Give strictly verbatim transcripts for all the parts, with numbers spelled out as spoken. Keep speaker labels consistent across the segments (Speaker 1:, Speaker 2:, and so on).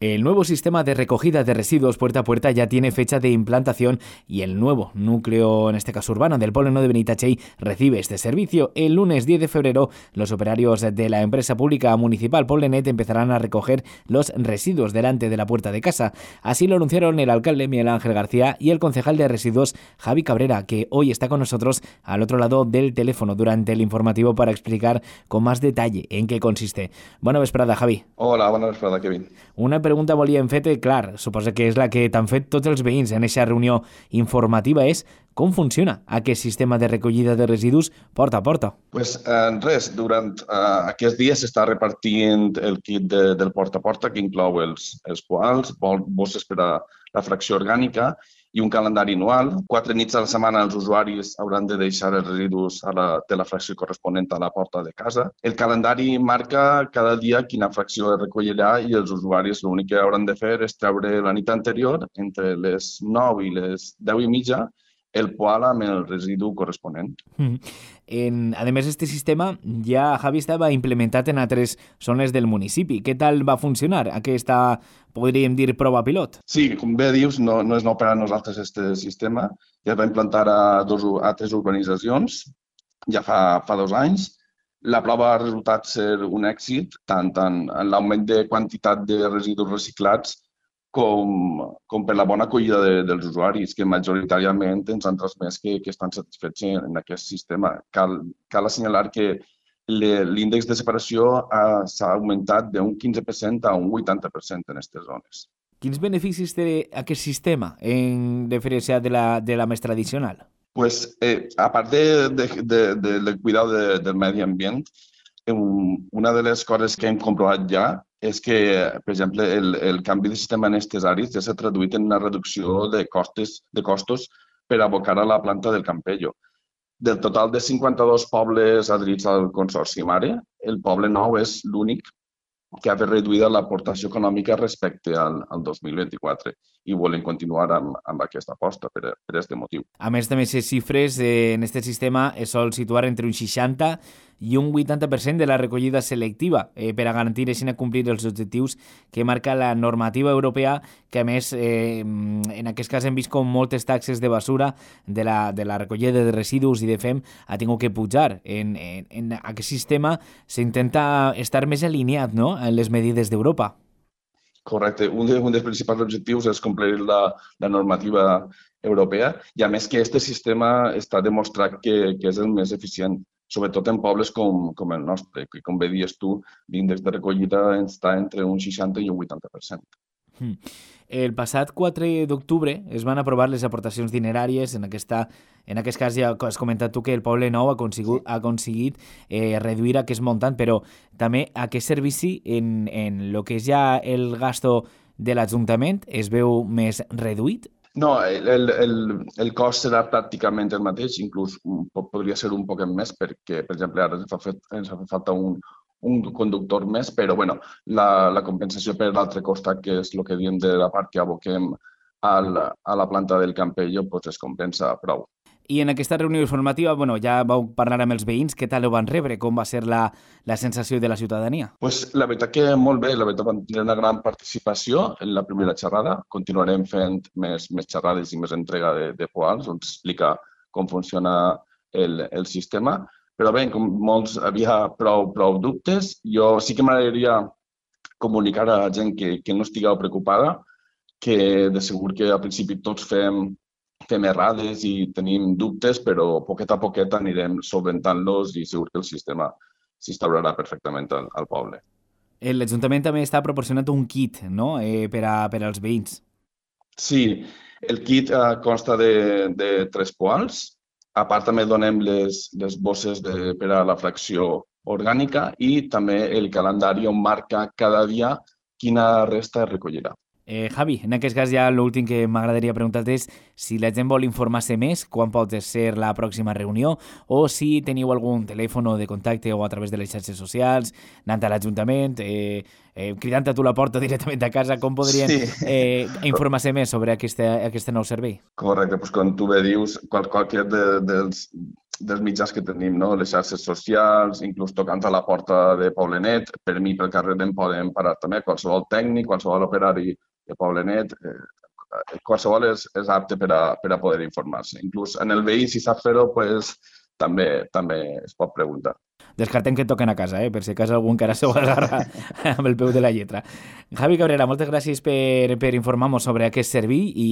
Speaker 1: El nuevo sistema de recogida de residuos puerta a puerta ya tiene fecha de implantación y el nuevo núcleo, en este caso urbano, del Poble Nou de Benitatxell recibe este servicio. El lunes diez de febrero, los operarios de la empresa pública municipal Poblenet empezarán a recoger los residuos delante de la puerta de casa. Así lo anunciaron el alcalde Miguel Ángel García y el concejal de residuos Javi Cabrera, que hoy está con nosotros al otro lado del teléfono durante el informativo para explicar con más detalle en qué consiste. Bona vesprada, Javi.
Speaker 2: Hola, bona vesprada, Kevin.
Speaker 1: Una pregunta volíem fer-te, clar, suposo que és la que t'han fet tots els veïns en aquesta reunió informativa, és com funciona aquest sistema de recollida de residus porta a porta?
Speaker 2: Pues eh, res, durant eh, aquests dies s'està repartint el kit de, del porta a porta, que inclou els, els poals, bosses per a la fracció orgànica i un calendari anual. Quatre nits a la setmana els usuaris hauran de deixar els residus a la, de la fracció corresponent a la porta de casa. El calendari marca cada dia quina fracció es recollirà i els usuaris l'únic que hauran de fer és treure la nit anterior, entre les nou i les deu i mitja, el poal amb el residu corresponent.
Speaker 1: Mm. En, a més, este sistema ja, Javi, estava implementat en altres zones del municipi. Què tal va funcionar aquesta, podríem dir, prova pilot?
Speaker 2: Sí, com bé dius, no, no és nou per a nosaltres este sistema. Ja es va implantar a, dos, a tres urbanitzacions, ja fa, fa dos anys. La prova ha resultat ser un èxit, tant en, en l'augment de quantitat de residus reciclats com, com per la bona acollida de, dels usuaris, que majoritàriament ens han transmès que, que estan satisfets en, en aquest sistema. Cal, cal assenyalar que l'índex de separació s'ha augmentat d'un quinze per cent a un vuitanta per cent en aquestes zones.
Speaker 1: Quins beneficis té aquest sistema en diferència de la, de la més tradicional?
Speaker 2: Pues, eh, a part de, de, de, de, de cuidar de, del medi ambient, una de les coses que hem comprovat ja és que, per exemple, el, el canvi de sistema en aquestes àrees ja s'ha traduït en una reducció de costes, de costos per abocar a la planta del Campello. Del total de cinquanta-dos pobles adherits al Consorci Mare, el Poble Nou és l'únic que ha reduït l'aportació econòmica respecte al, al dos mil vint-i-quatre i volen continuar amb, amb aquesta aposta per, per aquest motiu.
Speaker 1: A més, també les xifres eh, en aquest sistema es sol situar entre un seixanta i un vuitanta per cent de la recollida selectiva eh, per a garantir així complir els objectius que marca la normativa europea, que a més eh, en aquest cas hem vist com moltes taxes de basura de la, de la recollida de residus i de fem ha tingut que pujar. En, en, en aquest sistema s'intenta estar més alineat, no?, en les medides d'Europa.
Speaker 2: Correcte. Un, de, un dels principals objectius és complir la, la normativa europea i a més que aquest sistema està demostrat que, que és el més eficient, sobretot en pobles com, com el nostre, que com bé dius tu, l'índex de recollida està entre un seixanta i un vuitanta per cent.
Speaker 1: Hmm. El passat quatre d'octubre es van aprovar les aportacions dineràries. En, aquesta, en aquest cas ja has comentat tu que el Poble Nou ha aconseguit, ha aconseguit eh, reduir aquest muntant, però també aquest servici en, en el que és ja el gasto de l'Ajuntament es veu més reduït?
Speaker 2: No, el, el, el cost serà pràcticament el mateix, inclús podria ser un poc més perquè, per exemple, ara ens fa, fet, ens fa falta un, un conductor més, però bueno, la, la compensació per l'altre costat, que és el que diem de la part que aboquem al, a la planta del Campello, doncs es compensa prou.
Speaker 1: I en aquesta reunió informativa, bueno, ja vau parlar amb els veïns, què tal ho van rebre? Com va ser la, la sensació de la ciutadania?
Speaker 2: Pues la veritat que molt bé, la veritat van tenir una gran participació en la primera xerrada. Continuarem fent més, més xerrades i més entrega de, de poals, on explica com funciona el, el sistema. Però bé, com molts havia prou, prou dubtes, jo sí que m'agradaria comunicar a la gent que, que no estigueu preocupada, que de segur que al principi tots fem fem errades i tenim dubtes, però poquet a poquet anirem solventant-los i segur que el sistema s'instaurarà perfectament al, al poble.
Speaker 1: L'Ajuntament també està proporcionant un kit, no?, eh, per, a, per als veïns.
Speaker 2: Sí, el kit eh, consta de, de tres poals. A part també donem les, les bosses de, per a la fracció orgànica i també el calendari on marca cada dia quina resta es recollirà.
Speaker 1: Eh, Javi, en aquest cas ja l'últim que m'agradaria preguntar-te és si la gent vol informar-se més, quan pot ser la pròxima reunió, o si teniu algun telèfon de contacte o a través de les xarxes socials, anant a l'Ajuntament, eh, eh, cridant a tu la porta directament a casa, com podrien sí. eh, informar-se més sobre aquest, aquest nou servei?
Speaker 2: Correcte, doncs com tu bé dius, qual, qualsevol de, dels, dels mitjans que tenim, no? Les xarxes socials, inclús tocant a la porta de Poblenet, per mi pel carrer em poden parar també qualsevol tècnic, qualsevol operari de Poblenet, eh, qualsevol és, és apte per a, per a poder informar-se. Inclús en el veí, si sap fer-ho, pues, també, també es pot preguntar.
Speaker 1: Descartem que et toquen a casa, eh? Per si a casa algú encara s'ho agarra amb el peu de la lletra. Javi Cabrera, moltes gràcies per, per informar-nos sobre aquest servei i,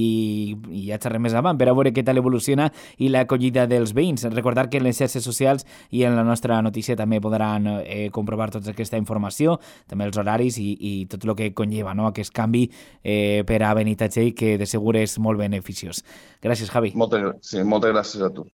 Speaker 1: i ja xerrem més avant per a veure què tal evoluciona i l'acollida dels veïns. Recordar que en les xarxes socials i en la nostra notícia també podran eh, comprovar tota aquesta informació, també els horaris i, i tot el que conlleva, no? Aquest canvi eh, per a Benitatxell, que de segur és molt beneficiós. Gràcies, Javi.
Speaker 2: Moltes, sí, moltes gràcies a tu.